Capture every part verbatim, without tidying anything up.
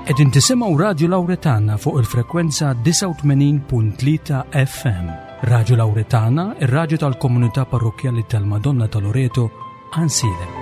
Qegħdin tisimgħu Radio Lauretana fuq il-frekwenza disgħa u tmenin punt tlieta F M. Radio Lauretana, ir-radju tal-komunità parrokkjali tal-Madonna ta' Loreto, Għajnsielem.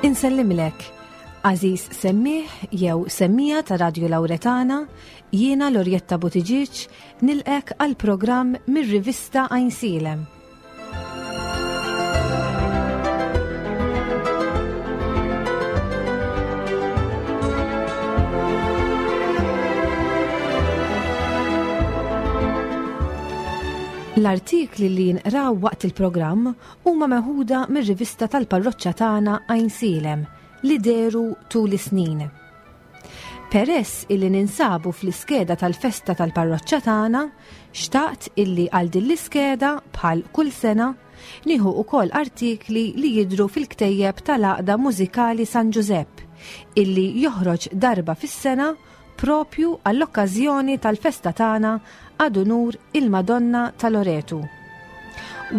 Insellimlek, għażiż semmiegħ jew semmiegħa ta' Radio Lauretana, jiena Lorjetta Buttigieg nilqgħek għal programm mir-rivista Għajnsielem. L-artikli li jinqraw waqt il-programm huma meħuda mir-rivista tal-parroċċa tagħna Għajnsielem li dehru tul is-snin. Peress illi ninsabu fl-iskeda tal-festa tal-parroċċa tagħna, xtaqt illi għal din l-iskeda, bħal kull sena, nieħu ukoll artikli li jidru fil-ktejjeb tal-Għaqda Mużikali San Ġużepp illi joħroġ darba fis-sena propju għall-okkażjoni tal-festa tagħna ad unur il-Madonna ta' Loretu.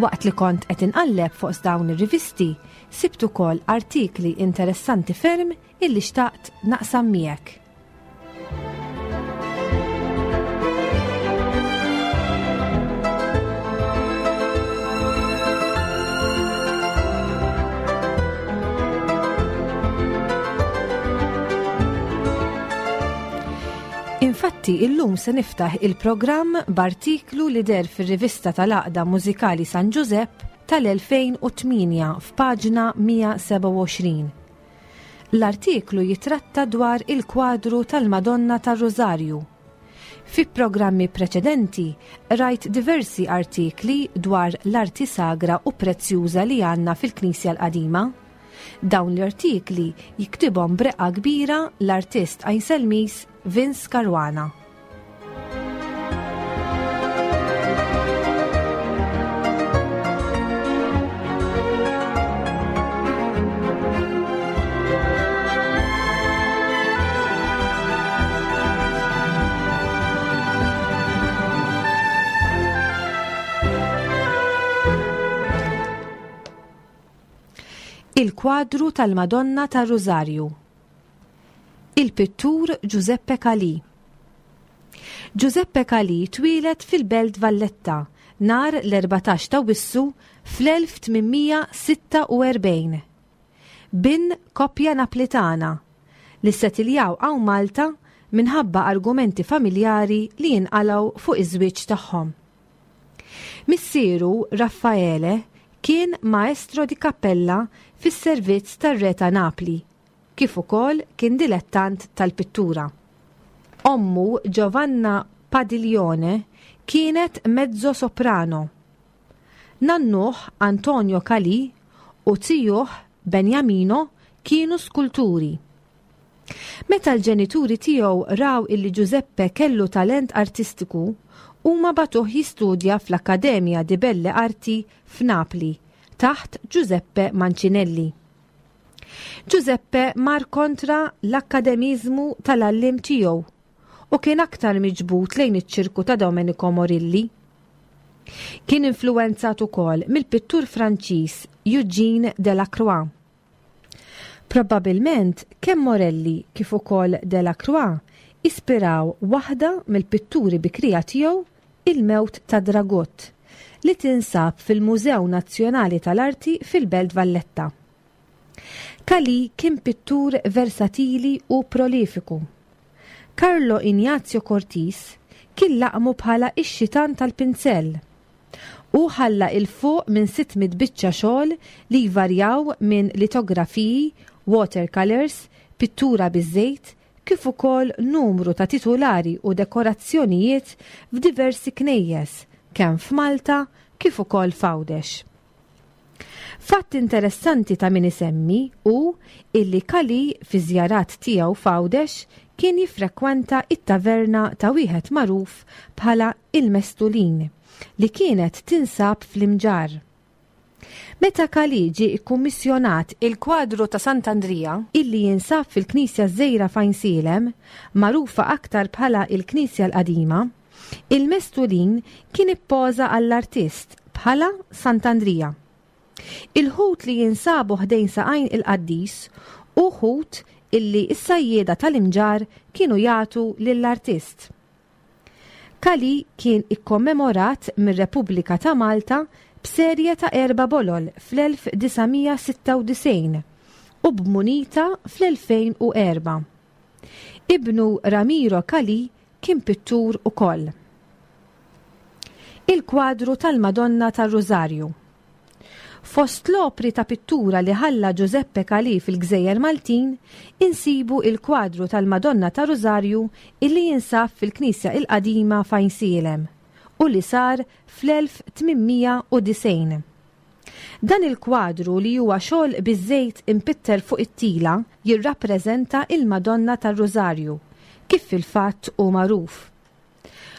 Waqt li kont qed inqalleb fuq dawn ir-rivisti, sibt ukoll artikli interessanti ferm illi xtaqt naqsam miegħek. Infatti, illum se niftaħ il-programm b'artiklu li deher fir-rivista tal-Għaqda Mużikali San Ġużepp tal-elfejn u tmienja f'paġna mija u sebgħa u għoxrin. L-artiklu jitratta dwar il-kwadru tal-Madonna tar-Rożarju. Fi programmi preċedenti rajt diversi artikli dwar l-arti sagra u prezzjuża li għandna fil-Knisja l-Qadima. Dawn l-artikli jiktibhom b'reqqa kbira l-artist Għajnselmiż Vince Caruana. Il-kwadru tal-Madonna tar-Rożarju. Il-pittur Giuseppe Calì. Giuseppe Calì twieled fil-Belt Valletta nhar l-erbatax ta' Awwissu fl-elf tmien mija sitta u erbgħin. Bin koppja Naplitana li settiljaw hawn Malta minħabba argumenti familjari li jinqalgħu fuq iż-żwieġ tagħhom. Missieru Raffaele kien maestro di cappella fis-servizz tar-re ta' Napli, kif ukoll kien dilettant tal-pittura. Ommu Giovanna Padiglione kienet mezzo soprano. Nannuh Antonio Calì u zijuh Benjamino kienu skulturi. Meta l-ġenituri tiegħu raw illi Giuseppe kellu talent artistiku, huma bagħtuh jistudja fl-Akkademja di Belle Arti f'Napli taħt Giuseppe Mancinelli. Giuseppe mar kontra l-akkademizmu tal-għalliem tiegħu u kien aktar miġbud lejn iċ-ċirku ta' Domenico Morilli. Kien influenzat ukoll mill-pittur Franċiż Eugene Delacroix. Probabilment kemm Morelli kif ukoll Delacroix ispiraw waħda mill-pitturi bikrija tiegħu, Il-Mewt ta' Dragut, li tinsab fil-Mużew Nazzjonali tal-Arti fil-Belt Valletta. Calì kien pittur versatili u prolifiku. Carlo Ignazio Cortis kien laqmu bħala ix-xitan tal-pinzell. U ħalla 'l fuq minn sitt mitt biċċa xogħol li jvarjaw minn litografiji, watercolors, pittura biż-żejt, kif ukoll numru ta' titulari u dekorazzjonijiet f'diversi knejjes, kemm f'Malta kif ukoll f'Għawdex. Fatt interessanti ta' min isemmi hu illi Calì fi żjarat tiegħu f'Għawdex kien jiffrekwenta it-taverna ta' wieħed magħruf bħala il-Mestulin li kienet tinsab fl-Imġarr. Meta Calì ġie ikkummissjonat il-kwadru ta' Sant'Andrija illi jinsab fil-Knisja Żgħira f'Għajnsielem, magħrufa aktar bħala il-Knisja l-Qadima, il-Mestulin kien ippoża għall-artist bħala Sant'Andrija. Il-ħut li jinsabu ħdejn saqajn il-qaddis hu ħut illi s-sajjieda tal-Imġarr kienu jagħtu lill-artist. Calì kien ikkommemorat mir-Repubblika ta' Malta b'serje ta' erba' bolol fl-elf disa' mija sitta u disgħin u b'munita fl-elfejn u erba'. Ibnu Ramiro Calì kien pittur ukoll. Il-kwadru tal-Madonna tar-Rużarju. Fost l-opri ta' pittura li ħalla Giuseppe Calì fil-Gżejjer Maltin, insibu il-kwadru tal-Madonna ta' Rużarju illi jinsab fil-Knisja il-Qadima f'Għajnsielem u li sar fl-elf tmien mija u disgħin. Dan il-kwadru, li huwa xogħol biż-żejt impitter fuq it-tila, jirrappreżenta il-Madonna tar-Rużarju, kif fil-fatt hu magħruf.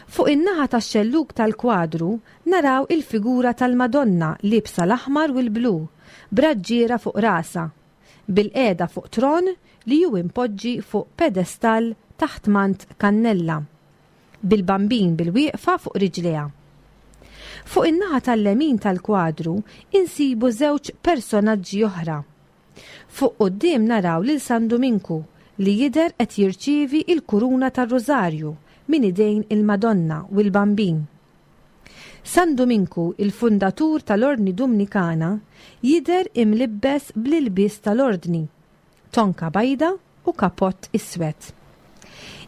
Fuq in-naħa tax-xellug tal-kwadru naraw il-figura tal-Madonna liebsa l-aħmar u l-blu, b'raġġiera fuq rasha, bil-qiegħda fuq tron li hu impoġġi fuq pedestall taħt mant kannella, bil-bambin bil-wieqfa fuq riġlejha. Fuq in-naħa tal-lemin tal-kwadru insibu żewġ personaġġi oħra. Fuq quddiem naraw lil San Duminku li jidher qed jirċievi il-kuruna tar-Rużarju minn idejn il-Madonna u l-Bambin. San Duminku, il-fundatur tal-Ordni Dumnikana, jidher imlibbes bl-ilbies tal-Ordni, tonka bajda u kapott iswed.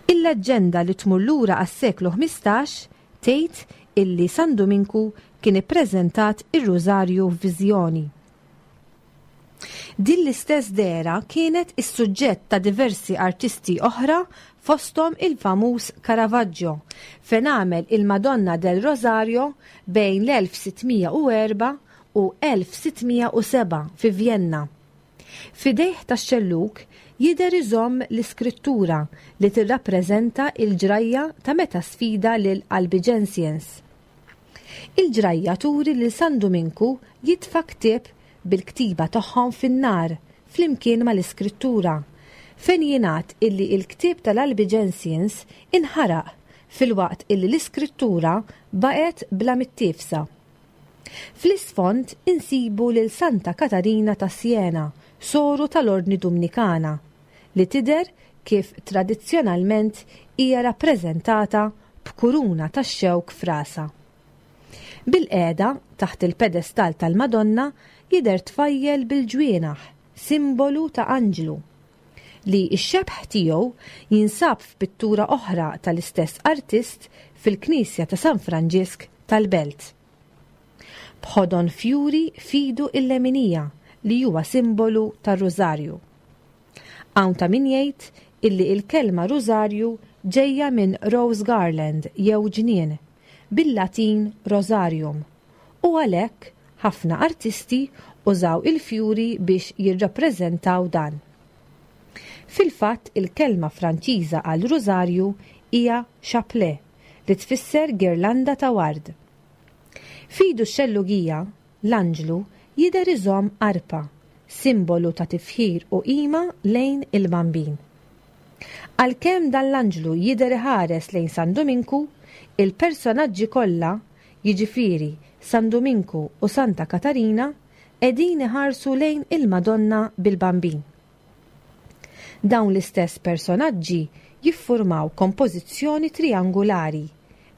Il-leġġenda li tmur lura għas-seklu ħmistax tgħid illi San Duminku kien ippreżentat ir-Rużarju f'viżjoni. Din l-istess dehra kienet is-suġġett ta' diversi artisti oħra, fosthom il-famuż Caravaggio, fejn għamel il-Madonna del Rosario bejn l-elf sitt mija u erba' u elf sitt mija u seba' fi Vienna. F'idejh tax-xellug jidher iżomm l-iskrittura li tirrappreżenta il-ġrajja ta' meta sfida lil Albigensians. Il-ġrajja turi lil San Duminku jitfa' ktieb bil-ktiba tagħhom fin-nar flimkien mal-iskrittura, fejn jingħad illi il-ktieb tal-Albigensians inħaraq filwaqt illi l-iskrittura baqgħet bla mittiefsa. Fl-isfond insibu lil Santa Katarina ta' Siena, soru tal-Ordni Dumnikana, li tidher kif tradizzjonalment hija rappreżentata b'kuruna tax-xewk f'rasha. Bil-qiegħda taħt il-pedestal tal-Madonna jidher tfajjel bil-ġwienaħ, simbolu ta' anġlu, li x-xebh tiegħu jinsab f'pittura oħra tal-istess artist fil-Knisja ta' San Franġisk tal-Belt. B'ħodon fjuri f'idu il-leminija li huwa simbolu tar-Rużarju. Hawn ta' min jgħid illi il-kelma Rużarju ġejja minn Rose Garland jew ġnien, bil-Latin Rosarium, u għalhekk ħafna artisti użaw il-fjuri biex jirrappreżentaw dan. Fil-fatt il-kelma Franċiża għal Rużarju hija chapelet, li tfisser girlanda ta' ward. F'idu x-xellugija, l-anġlu jidher iżomm arpa, simbolu ta' tifħir u qima lejn il-Bambin. Għalkemm dan l-anġlu jidher iħares lejn San Duminku, il-personaġġi kollha, jiġifieri San Duminku u Santa Katarina, qegħdin iħarsu lejn il-Madonna bil-Bambin. Dawn l-istess personaġġi jiffurmaw kompożizzjoni triangolari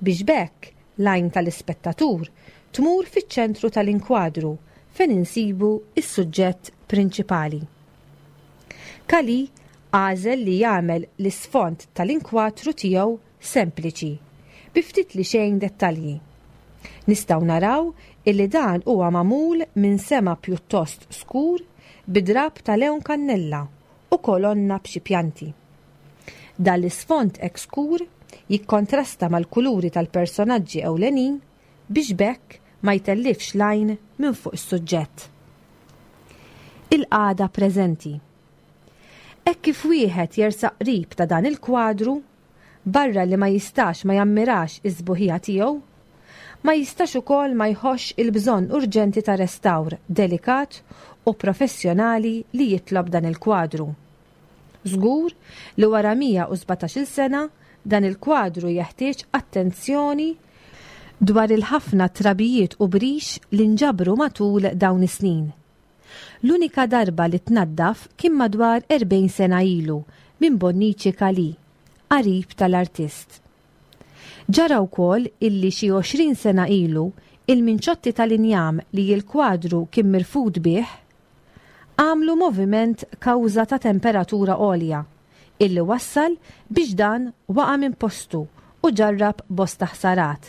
biex b'hekk l-għajn tal-ispettatur tmur fiċ-ċentru tal-inkwadru fejn insibu is-suġġett prinċipali. Calì għażel li jagħmel l-isfond tal-inkwatru tiegħu sempliċi, bi ftit li xejn dettalji. Nistgħu naraw illi dan huwa magħmul minn sema pjuttost skur bi drab ta' lewn kannella u kolonna b'xi pjanti. Dan l-isfond hekk skur jikkontrasta mal-kuluri tal-personaġġi ewlenin biex b'hekk ma jtellifx l-għajn minn fuq is-suġġett. Il-qagħda preżenti. Hekk kif wieħed jersaq qrib ta' dan il-kwadru, barra li ma jistax ma jammirax is-sbuħija tiegħu, ma jistax ukoll ma jħossx il-bżonn urġenti ta' restawr delikat u professjonali li jitlob dan il-kwadru. Żgur li wara mija u sbatax-il sena dan il-kwadru jeħtieġ attenzjoni dwar il-ħafna trabijiet u brix li nġabru matul dawn is-snin. L-unika darba li tnaddaf kien madwar erbgħin sena ilu minn Bonnici Kali, qarib tal-artist. Ġara wkoll illi xi għoxrin sena ilu il-minċotti tal-injam li l-kwadru kien mirfud bih għamlu moviment kawża ta' temperatura għolja illi wassal biex dan waqa' minn postu u ġarrab bosta ħsarat,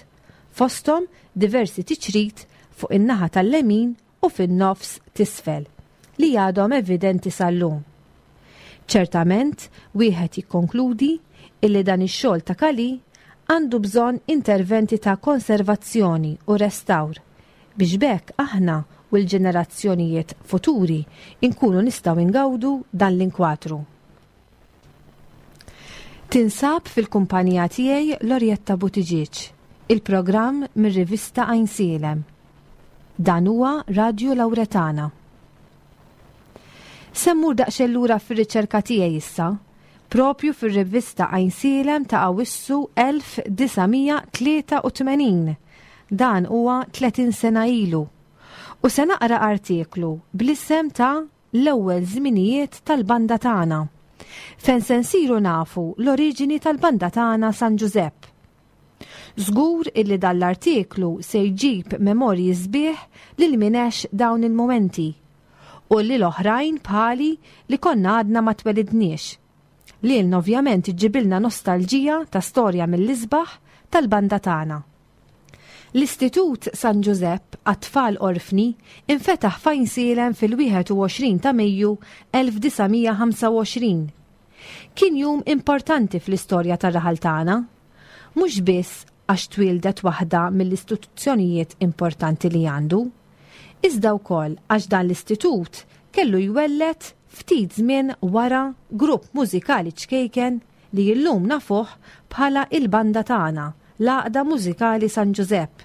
fosthom diversi tiċrit fuq in-naħa tal-lemin u fin-nofs t'isfel li għadhom evidenti sal-lum. Ċertament, wieħed jikkonkludi illi dan ix-xogħol ta' Kali għandu bżonn interventi ta' konservazzjoni u restawr biex b'hekk aħna u l-ġenerazzjonijiet futuri inkunu nistgħu ingawdu dan l-inkwatru. Tinsab fil-kumpanija tiegħi Lorjetta Buttigieg, il-programm mir-rivista Għajnsielem. Dan huwa Radio Lauretana. Se mmur daqsxejn lura fir-riċerka tiegħi issa, propju fir-rivista Għajnsielem ta' Awissu elf disa' mija tlieta u tmenin. Dan huwa tletin sena ilu. U se naqra artiklu bl-isem ta' L-ewwel żminijiet tal-banda tagħna, fejn se nsiru nafu l-oriġini tal-banda tagħna San Ġużepp. Żgur illi dan l-artiklu se jġib memorji sbieħ lil min għex dawn il-momenti u li l-oħrajn bħali li konna għadna ma twelidniex. Li ovvjament iġibilna nostalġija ta' storja mill-isbaħ tal-banda tagħna. L-Istitut San Ġużepp għat-tfal orfni infetaħ f'Għajnsielem fil-wieħed u għoxrin ta' Mejju elf disa' mija ħamsa u għoxrin. Kien jum importanti fl-istorja tar-raħal tagħna, mhux biss għax twildet waħda mill-istituzzjonijiet importanti li għandu, iżda wkoll għax dan l-istitut kellu jwellet ftit żmien wara grupp mużikali ċkejken li illum nafuh bħala il-banda tagħna, l-Għaqda Mużikali San Ġużepp.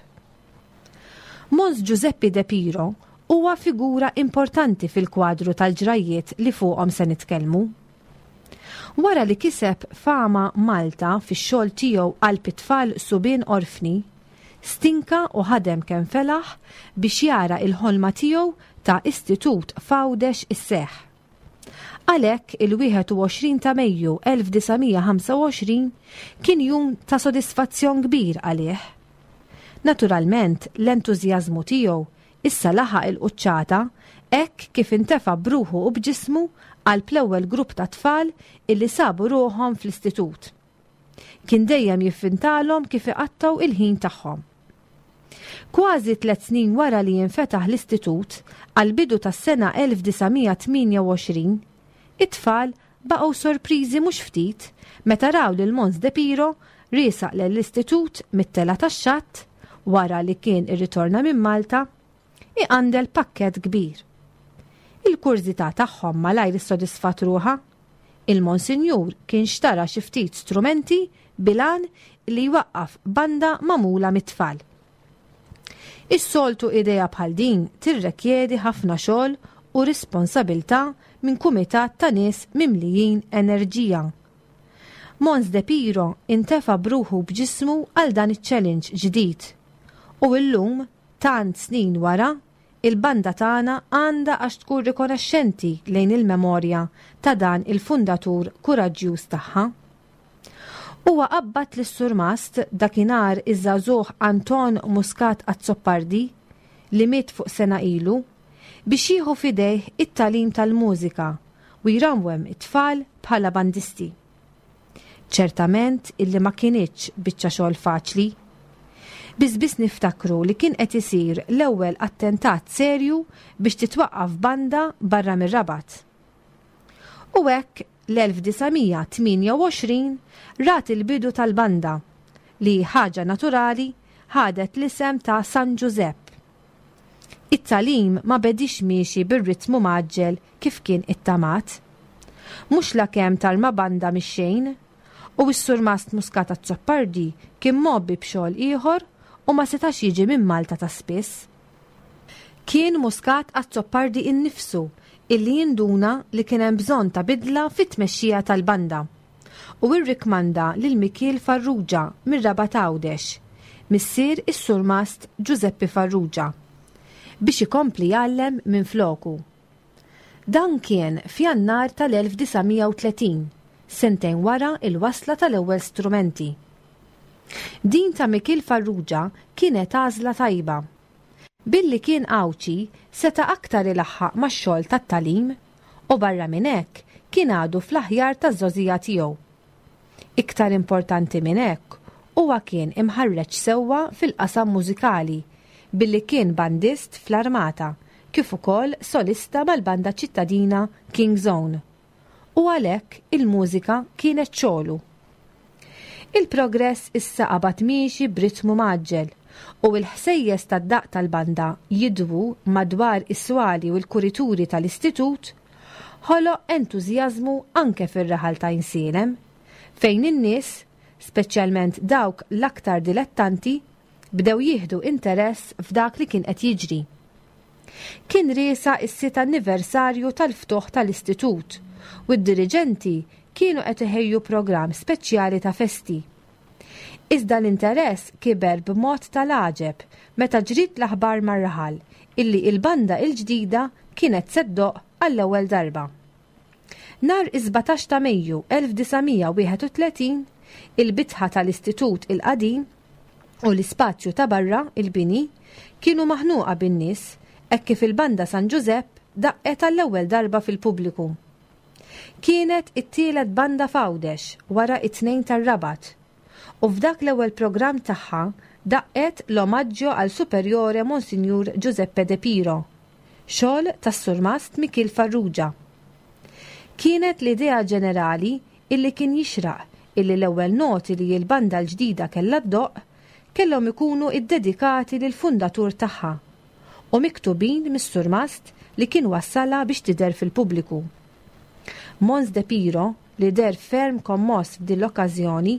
Mons Giuseppe De Piro huwa figura importanti fil-kwadru tal-ġrajiet li fuqhom se nitkellmu. Wara li kiseb fama Malta fix-xogħol tiegħu għal it-tfal subien orfni, stinka u ħadem kemm felaħ biex jara il-ħolma tiegħu ta' istitut f'Għawdex isseħ. Għalhekk il-wieħed u għoxrin ta' Mejju elf disa' mija ħamsa u għoxrin kien jum ta' sodisfazzjon kbir għalih. Naturalment, l-entużjażmu tiegħu issa laħaq il-quċċata hekk kif intefa' bruħu u b'ġismu għal l-ewwel grupp ta' tfal illi sabu ruħhom fl-istitut. Kien dejjem jiffintalhom kif iqattaw il-ħin tagħhom. Kważi tliet snin wara li jinfetaħ l-istitut, għal bidu tas-sena elf disa' mija tmienja u għoxrin, it-tfal baqgħu sorpriżi mhux ftit meta raw lil Mons De Piro riesaq l-istitut mit-tela tax-xatt wara li kien irritorna minn Malta iqandel pakket kbir. Il-kurżità tagħhom malajr issodisfat ruħha. Il-Monsinjur kien xtara xi ftit strumenti bil-għan li jwaqqaf banda magħmula mit-tfal. Is-soltu idea bħal din tirrekjedi ħafna xogħol u responsabilta minn kumitat ta' nies mimlijin enerġija. Mons De Piro intefa bruħu b'ġismu għal dan iċ-challenge ġdid. U illum, tant snin wara, il-banda tagħna għandha għax tkun rikonoxxenti lejn il-memorja ta' dan il-fundatur kuraġġjuż tagħha. Huwa qabbad lis-surmast dakinhar iż-żagħżugħ Anton Muscat Azzopardi, li miet fuq sena ilu, biex jieħu fidejh it-tagħlim tal-mużika u jrawwem it-tfal bħala bandisti. Ċertament illi ma kinitx biċċa xogħol faċli. Biss biss niftakru li kien qed isir l-ewwel attentat serju biex titwaqqaf banda barra mir-Rabat. U hekk l-elf disa' mija tmienja u għoxrin rat il-bidu tal-banda li, ħaġa naturali, ħadet l-isem ta' San Ġużepp. It-tagħlim ma bedix miexi bir-ritmu mgħaġġel kif kien ittamat. Mhux lakemm tarma banda mix-xejn, u s-Surmast Muscat Azzopardi kien mgħobbi b'xogħol ieħor u ma setax jiġi minn Malta ta' spiss. Kien Muscat Azzopardi innifsu illi jinduna li kien hemm bżonn ta' bidla fit-tmexxija tal-banda u rrikmanda lil Mikiel Farrugia mir-Rabat Għawdex, missier is-Surmast Giuseppe Farrugia, biex ikompli jgħallem minn floku. Dan kien f'Jannar tal-elf disa' mija u tletin, sentejn wara il-wasla tal-ewwel strumenti. Din ta' Mikiel Farrugia kienet għażla tajba. Billi kien Għawdxi seta' aktar ilaħħaq max-xogħol tat-tagħlim u barra minn hekk kien għadu fl-aħjar taż-żgħożija tiegħu. Iktar importanti minn hekk, huwa kien imħarreġ sewwa fil-qasam mużikali billi kien bandist fl-armata kif ukoll solista mal-banda ċittadina King's Own. U għalhekk il-mużika kienet xogħlu. Il-progress issa qabad miexi b'ritmu mgħaġġel u l-ħsejjes tad-daqq tal-banda jidwu madwar is-swali u l-kurituri tal-istitut ħoloq entużjażmu anke fir-raħal ta' Għajnsielem, fejn in-nies, speċjalment dawk l-aktar dilettanti, bdew jieħdu interess f'dak li kien qed jiġri. Kien riesa s-sitt anniversarju tal-ftuħ tal-istitut u d-diriġenti kienu qed iħejju programm speċjali ta' festi. Iżda l-interess kiber b'mod tal-għaġeb meta ġriet l-aħbar mar-raħal illi il-banda il-ġdida kienet se ddoqq għall-ewwel darba. Nhar is-sbatax ta' Mejju elf disa' mija wieħed u tletin, il-bitħa tal-istitut il-qadim u l-ispazju ta' barra il-bini kienu maħnuqa bin-nies hekk kif il-banda San Ġużepp daqqet għall-ewwel darba fil-pubbliku. Kienet it-tielet banda f'Għawdex wara it-tnejn tar-Rabat u f'dak l-ewwel programm tagħha daqqet l-omaġġo għal Superiore Monsignor Giuseppe De Piro, xogħol tas-Surmast Mikiel Farrugia. Kienet l-idea ġenerali illi kien jixraq illi l-ewwel noti li l-banda l-ġdida kellha ddoqq kellhom ikunu iddedikati lill-fundatur tagħha u miktubin mis-surmast li kien wassalha biex tidher fil-pubbliku. Mons De Piro, li der ferm kommoss f'din l-okkażjoni,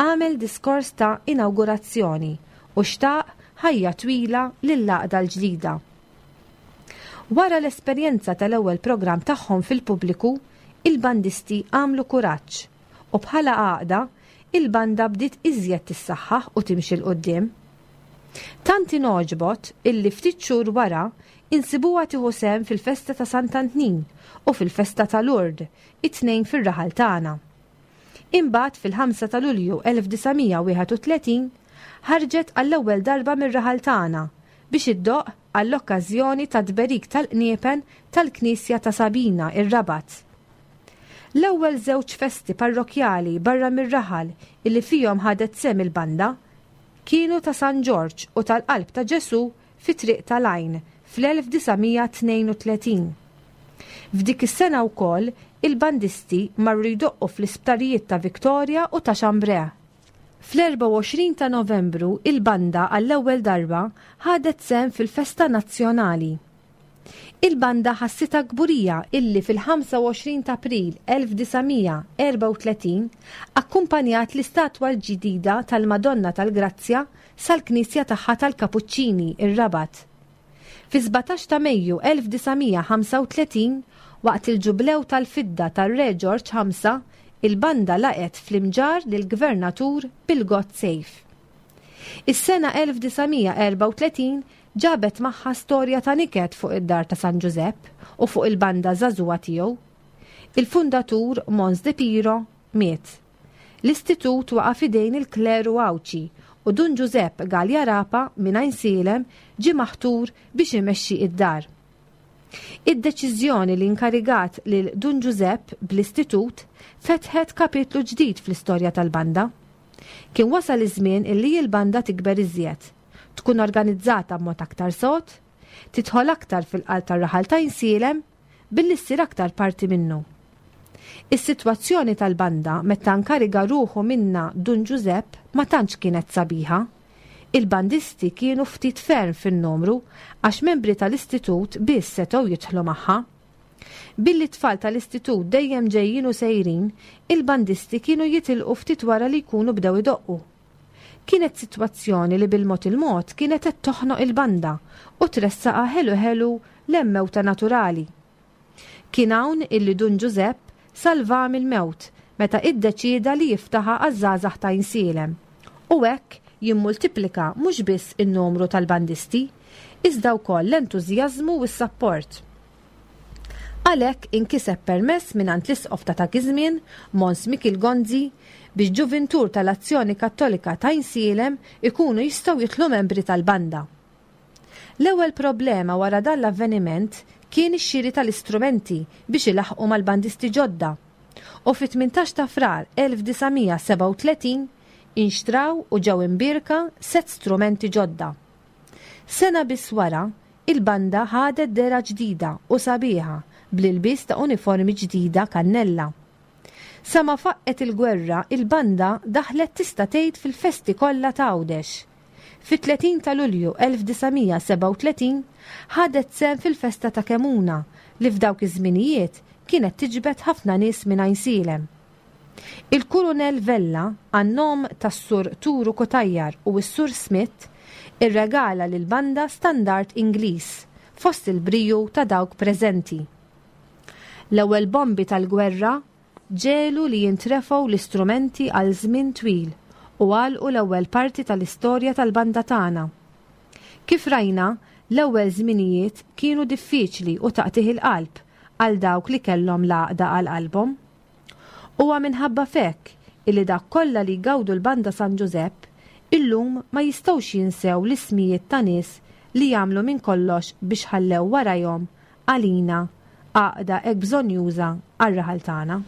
għamel diskors ta' inawgurazzjoni u xtaq ħajja twila lill-għaqda l-ġdida. Wara l-esperjenza tal-ewwel programm tagħhom fil-pubbliku, il-bandisti għamlu kuraġġ u bħala għaqda il-banda bdiet iżjed tissaħħaħ u timxi 'l quddiem. Tant inogħġbot illi ftit xhur wara insibuha tieħu sehem fil-festa ta' Sant'Antnin u fil-festa ta' Lourdes, it-tnejn fir-raħal tagħna. Imbagħad fil-ħamsa ta' Lulju elf disa' mija wieħed u tletin ħarġet għall-ewwel darba mir-raħal tagħna biex iddoqq għall-okkażjoni ta' tberik tal-qniepen tal-Knisja ta' Sabina ir-Rabat. L-ewwel żewġ festi parrokjali barra mir-raħal illi fihom ħadet sehem il-banda kienu ta' San Ġorġ u tal-Qalb ta' Ġesu fi Triq tal-Għajn fl-elf disa' mija tnejn u tletin. F'dik is-sena wkoll il-bandisti marru jdoqqu fl-isptarijiet ta' Victoria u ta' Chambray. Fl-erbgħa u għoxrin ta' Novembru il-banda għall-ewwel darba ħadet sehem fil-Festa Nazzjonali. Il-banda ħassitha kburija illi fil-ħamsa u għoxrin ta' April elf disa' mija erbgħa u tletin akkumpanjat l-istatwa l-ġdida tal-Madonna tal-Grazzja sal-Knisja tagħha tal-Kapuċċini ir-Rabat. Fi sbatax ta' Mejju elf disa' mija ħamsa u tletin, waqt il-ġublew tal-fidda tar-Re Ġorġ ħamsa, il-banda laqet fl-imġar lill-Gvernatur Pigott Safe. Is-sena elf disa' mija erbgħa u tletin ġabet magħha storja ta' niket fuq id-dar ta' San Ġużepp u fuq il-banda żagħżugħa tiegħu. Il-fundatur Mons De Piro miet. L-istitut waqa' f'idejn il-kleru Għawdxi u Dun Ġużepp Galea Rapa minn Għajnsielem ġie maħtur biex imexxi id-dar. Id-deċiżjoni li inkarigat lil Dun Ġużepp bl-istitut fetħet kapitlu ġdid fl-istorja tal-banda. Kien wasal iż-żmien illi l-banda tikber iżjed, tkun organizzata b'mod aktar sod, tidħol aktar fil-qalb tar-raħal ta' Għajnsielem billi ssir aktar parti minnu. Is-sitwazzjoni tal-banda meta nkariga ruħu minna Dun Ġużepp ma tantx kienet sabiħa. Il-bandisti kienu ftit ferm fin-numru għax membri tal-istitut biss setgħu jidħlu magħha. Billi t-tfal tal-istitut dejjem ġejjin u sejrin, il-bandisti kienu jitilqu ftit wara li jkunu bdew idoqqu. Kienet sitwazzjoni li bil-mod il-mod kienet qed toħnoq il-banda u tressaqha ħelu ħelu lejn mewta naturali. Kien hawn illi Dun Ġużepp salva mill-mewt meta iddeċieda li jiftaħha għaż-żgħażagħ ta' Għajnsielem u hekk jimmultiplika mhux biss in-numru tal-bandisti, iżda wkoll l-entużjażmu u s-sapport. Għalhekk inkiseb permess mingħand l-isqof ta' dak iż-żmien, Mons Mikiel Gonzi, biex ġuvintur tal-Azzjoni Kattolika ta' Għajnsielem ikunu jistgħu jidħlu membri tal-banda. L-ewwel problema wara dan l-avveniment kien ix-xiri tal-istrumenti biex ilaħqu mal-bandisti ġodda. U fit-tmintax ta' Frar elf disa' mija sebgħa u tletin inxtraw u ġew imbierka set strumenti ġodda. Sena biss wara, il-banda ħadet dehra ġdida u sabiħa bl-ilbis ta' uniformi ġdida kannella. Sa ma faqqet il-gwerra, il-banda daħlet tista' tgħid fil-festi kollha ta' Għawdex. Fit-tletin ta' Lulju elf disa' mija sebgħa u tletin ħadet sehem fil-festa ta' Kemuna li f'dawk iż-żminijiet kienet tiġbed ħafna nies minn Għajnsielem. Il-Kurunell Vella, għan-nom tas-Sur Turu Cutajar u s-Sur Smith, irregala lil banda standard Ingliż fost il-briju ta' dawk preżenti. L-ewwel bombi tal-gwerra ġiegħlu li jintrefgħu l-istrumenti għal żmien twil u għalqu l-ewwel parti tal-istorja tal-banda tagħna. Kif rajna, l-ewwel żminijiet kienu diffiċli u taqtigħ il-qalb għal dawk li kellhom l-għaqda għal qalbhom. Huwa minħabba f'hekk illi dak kollha li jgawdu l-banda San Ġużepp illum ma jistgħux jinsew l-ismijiet ta' nies li jagħmlu minn kollox biex ħallew warajhom għalina għaqda hekk bżonnjuża għar-raħal tagħna.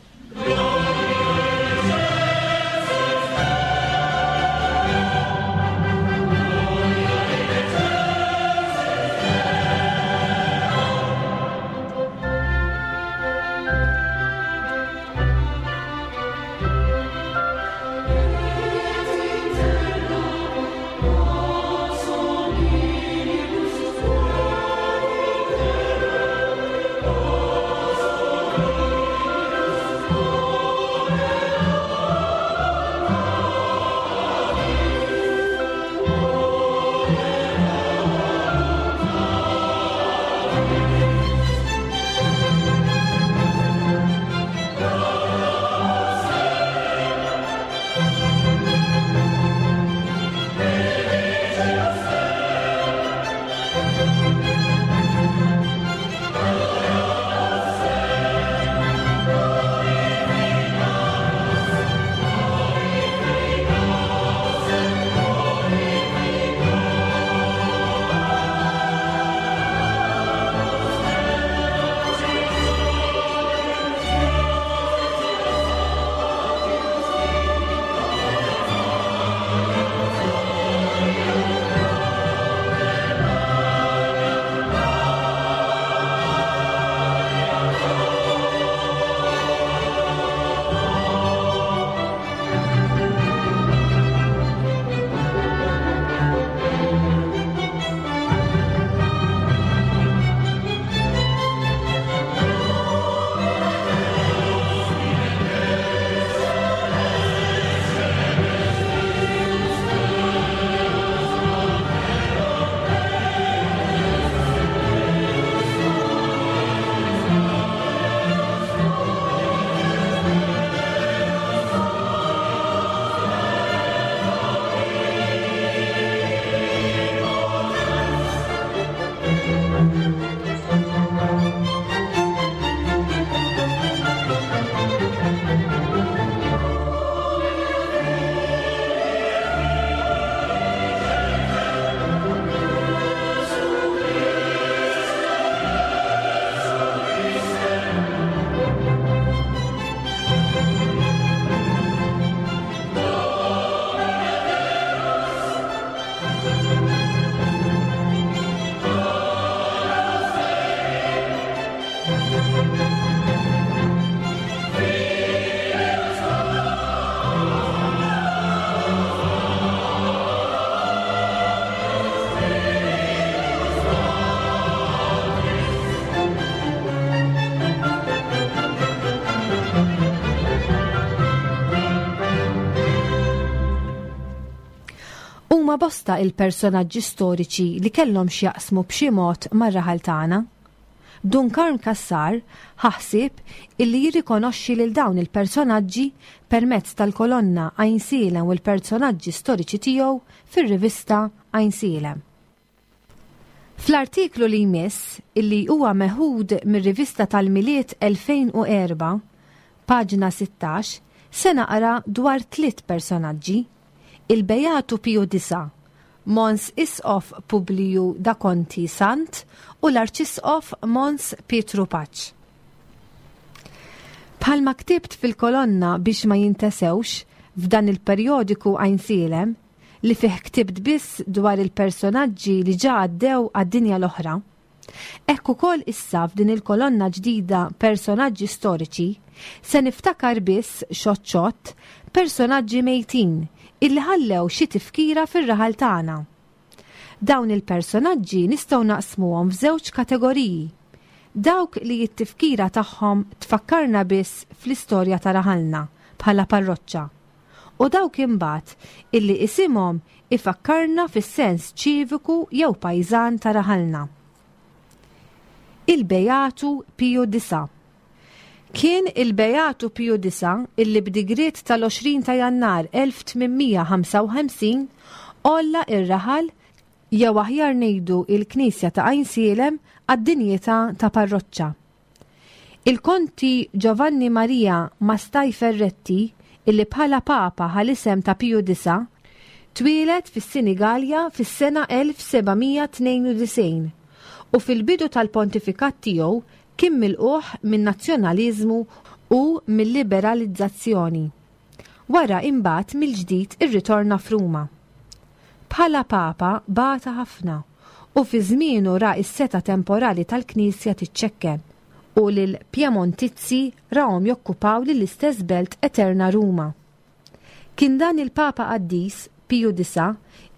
bosta il-personaġġi storiċi li kellhom x'jaqsmu b'xi mod mar-raħal tagħna. Dun Karm Cassar ħa ħsieb illi jirrikonoxxi lil dawn il-personaġġi permezz tal-kolonna Għajnsielem u l-personaġġi storiċi tiegħu fir-rivista Għajnsielem. Fl-artiklu li jmiss, illi huwa meħud mir-rivista tal-Milied elfejn u erba', paġna sittax, se naqra dwar tliet personaġġi: il-Beatu Piju Disa, Mons Isqof Publiju da Conti Sant u l-Arċisqof Mons Pietru Paċ. Bħalma ktibt fil-kolonna biex ma jintesewx f'dan il-perjodiku Għajnsielem, li fih ktibt biss dwar il-personaġġi li ġa għaddew għad-dinja l-oħra, hekk ukoll issa f'din il-kolonna ġdida personaġġi storiċi se niftakar biss xott xott personaġġi mejtin illi ħallew xi tifkira fir-raħal tagħna. Dawn il-personaġġi nistgħu naqsmuhom f'żewġ kategoriji. Dawk li t-tifkira tagħhom tfakkarna biss fl-istorja ta' raħalna bħala parroċċa, u dawk imbagħad illi isimhom ifakkarna fis-sens ċiviku jew pajżan ta' raħalna. Il-Beatu Piju Disa. Kien il-Beatu Piju Disa illi b'digriet tal-għoxrin ta' Jannar elf tmien mija ħamsa u ħamsin għolla ir-raħal jew aħjar ngħidu il-Knisja ta' Għajnsielem għad-dinjità ta' parroċċa. Il-Konti Giovanni Maria Mastai Ferretti, illi bħala Papa ħal isem ta' Piju Disa, twieled fis-Sinigalja fis-sena elf seba' mija tnejn u disgħin u fil-bidu tal-pontifikat tiegħu kien milquh min-nazzjonaliżmu u mill-liberalizzazzjoni. Wara imbagħad mill-ġdid irritorna f'Ruma. Bħala Papa bata ħafna u fi żmienu ra s-seta temporali tal-Knisja tiċċekken u lil Piemontizzi rahom jokkupaw lill-istess belt eterna Ruma. Kien dan il-Papa Qaddis Piju Disa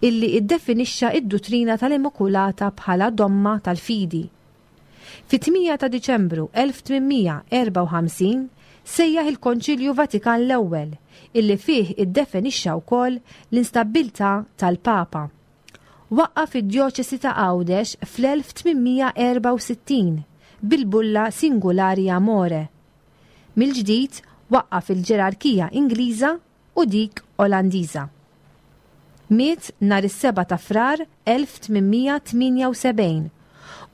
illi iddefinixxa id-duttrina tal-Immakulata bħala domma tal-fidi. Fit-tmienja ta' Diċembru elf tmien mija erba' u ħamsin sejjaħ il-Konċilju Vatikan l-ewwel illi fih iddefinixxa wkoll l-instabbiltà tal-Papa. Waqqaf id-djoċesi ta' Għawdex fl-elf tmien mija erba' u sittin bil-bulla Singulari Amore. Mill-ġdid waqqaf il-ġerarkija Ingliża u dik Olandiża. Miet nhar is-seba' ta' Frar elf tmien mija tmienja u sebgħin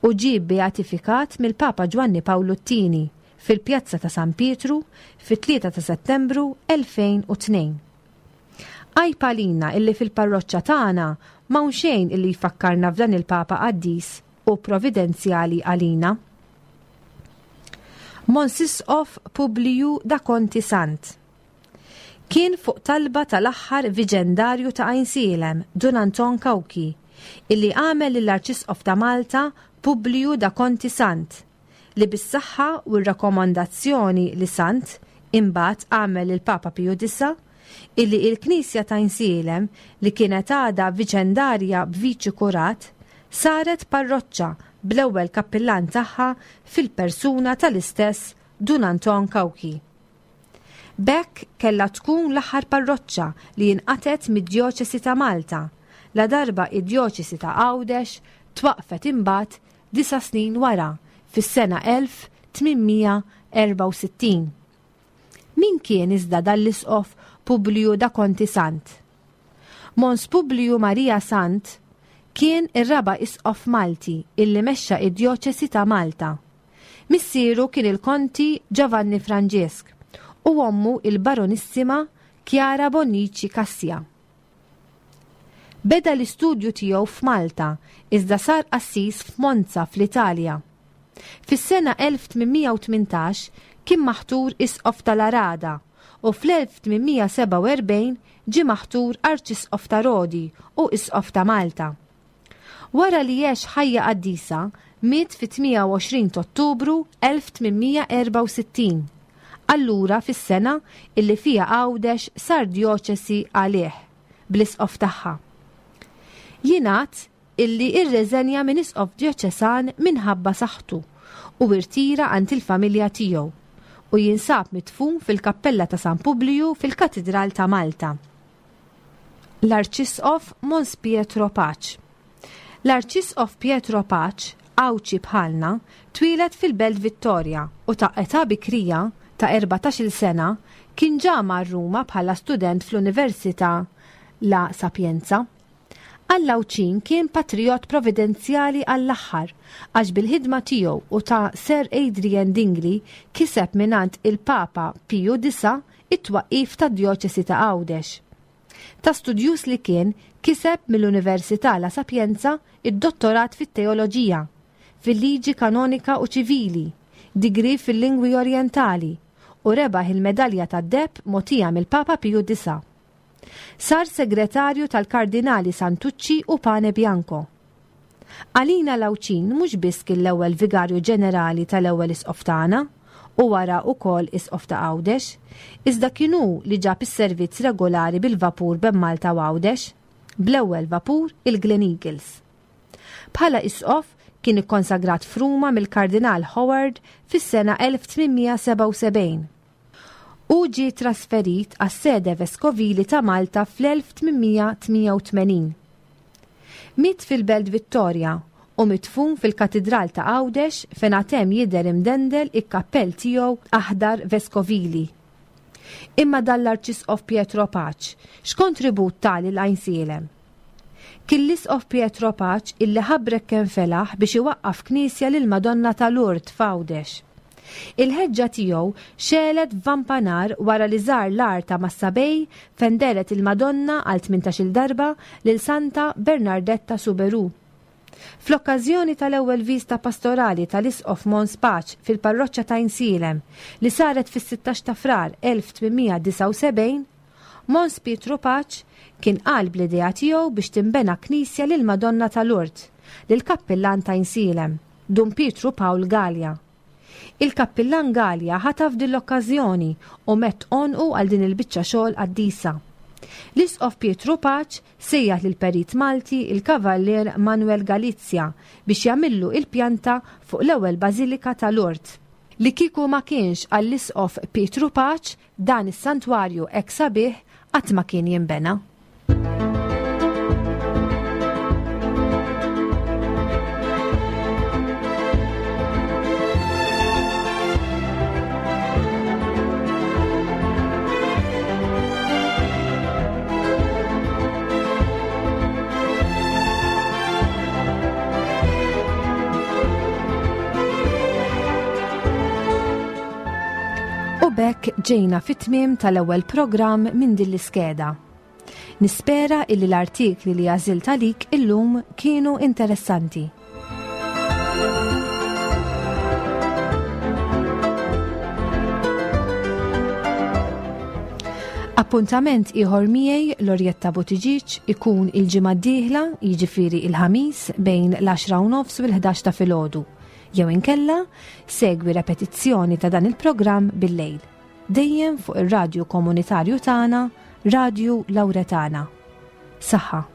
u ġie beatifikat mill-Papa Ġwanni Pawlu t-tieni fil-Pjazza ta' San Pietru fit-tlieta ta' Settembru elfejn u tnejn. Għajb għalina illi fil-parroċċa tagħna m'hawn xejn illi jfakkarna f'dan il-Papa qaddis u providenzjali għalina. Mons Isqof Publiju da Conti Sant. Kien fuq talba tal-aħħar viġendarju ta' Għajnsielem, Dun Anton Cauchi, illi għamel lill-Arċisqof ta' Malta Publiju da Conti Sant, li bis-saħħa u r-rakkomandazzjoni li Sant imbagħad għamel il-Papa Piju Disa, illi il-Knisja ta' Għajnsielem li kienet għadha viċendarja b'viċi kurat saret parroċċa bl-ewwel kappillan tagħha fil-persuna tal-istess Dun Anton Cauchi. B'hekk kellha tkun l-aħħar parroċċa li jinqatet mid-djoċesi ta' Malta, la darba id-djoċesi ta' Għawdex twaqfet imbagħad disa' snin wara fis-sena elf tmien mija erba' u sittin. Min kien iżda dal-isqof Publiju da Conti Sant? Mons Publiju Maria Sant kien ir-raba' isqof Malti illi mexxa id-djoċesi ta' Malta. Missieru kien il-Konti Giovanni Franġesk u ommu il-Baronissima Chiara Bonnici Cassia. Beda l-istudju tiegħu f'Malta, iżda sar qassis f'Monza fl-Italja. Fis-sena elf tmien mija u tmintax kien maħtur isqof tal-Arada u fl-elf tmien mija sebgħa u erbgħin ġie maħtur arċisqof ta' Rodi u isqof ta' Malta. Wara li għex ħajja qaddisa, miet fit-tmienja u għoxrin ta' Ottubru elf tmien mija erba' u sittin. Allura fis-sena illi fija Għawdex sar djoċesi għalih bl-isqof tagħha. Jingħad illi irreżenja minn isqof djoċesan minħabba saħħtu u irtira għand il-familja tiegħu u jinsab mitfun fil-Kappella ta' San Publiju fil-Katidral ta' Malta. L-Arċisqof Mons Pietro Pace. L-Arċisqof Pietro Pace, Għawdxi bħalna, twieled fil-Belt Vittoria u ta' età bikrija ta' erbatax-il sena kien ġa mar Ruma bħala student fl-Università La Sapienza. Għall-Għawdxin kien patriot providenzjali għall-aħħar għax bil-ħidma tiegħu u ta' Sir Adrian Dingli kiseb mingħand il-Papa Piju disa' it-twaqqif tad-Djoċesi ta' Għawdex. Ta' studjus li kien kiseb mill-Università La Sapienza id-dottorat fit-teoloġija, fil-liġi kanonika u ċivili, digri fil-lingwi orientali u rebaħ il-medalja tad-deheb mogħtija mill-Papa Piju disa'. Sar segretarju tal-Kardinali Santucci u Pane Bianco. Għalina l-Għawdxin mhux biss kien l-ewwel vigarju ġenerali tal-ewwel isqof tagħna u wara wkoll isqof ta' Għawdex, iżda kien hu li ġab is-servizz regolari bil-vapur bejn Malta u Għawdex, bl-ewwel vapur il-Glen Eagles. Bħala isqof kien ikkonsagrat f'Ruma mill-Kardinal Howard fis-sena elf tmien mija sebgħa u sebgħin. U ġie trasferit għas-sede veskovili ta' Malta fl-elf tmien mija tmien u tmenin. Miet fil-Belt Vittoria u midfun fil-Katidral ta' Għawdex fejn għad hemm jidher imdendel il-kappell tiegħu aħdar veskovili. Imma dan l-Arċisqof Pietro Pace x'kontribut ta lil Għajnsielem? Kien l-Isqof Pietro Pace illi ħabrek kemm felaħ biex iwaqqaf knisja lil Madonna ta' Lourdes f'Għawdex. Il-ħeġġa tiegħu xegħlet f'Vampanar wara li żar l-għar ta' Massabej fejn dehret il-Madonna għal tmintax-il darba lil Santa Bernardetta Soubirous. Fl-okkażjoni tal-ewwel viżta pastorali tal-Isqof Mons Pace fil-parroċċa ta' Għajnsielem li saret fis-sittax ta' Frar elf tmien mija disgħa u sebgħin, Mons Pietro Pace kien qal bl-idea tiegħu biex tinbena knisja lil Madonna ta' Lourdes lil kappillan ta' Għajnsielem, Dun Pietru Pawl Galea. Il-kappillan Galea ħataf din l-okkażjoni u mett għonqu għal din il-biċċa xogħol qaddisa. L-Isqof Pietro Pace sejjaħ lil perit Malti il-Kavallier Manuel Galizia biex jagħmillu il-pjanta fuq l-ewwel Bażilika ta' Lourdes. Li kieku ma kienx għall-Isqof Pietro Pace, dan is-santwarju hekk sabiħ qatt ma kien jinbena. U b'hekk ġejna fit-tmiem tal-ewwel programm minn din l-iskeda. Nispera illi l-artikli li għażilt għalik illum kienu interessanti. Appuntament ieħor miegħi Lorjetta Buttigieg ikun il-ġimgħa d-dieħla, jiġifieri il-ħamis bejn l-għaxra u nofs u l-ħdax ta' filgħodu. Jew inkella segwi repetizzjoni ta' dan il-programm bil-lejl. Dejjem fuq ir-radju komunitarju tagħna, Radju Lauretana. Saħħa.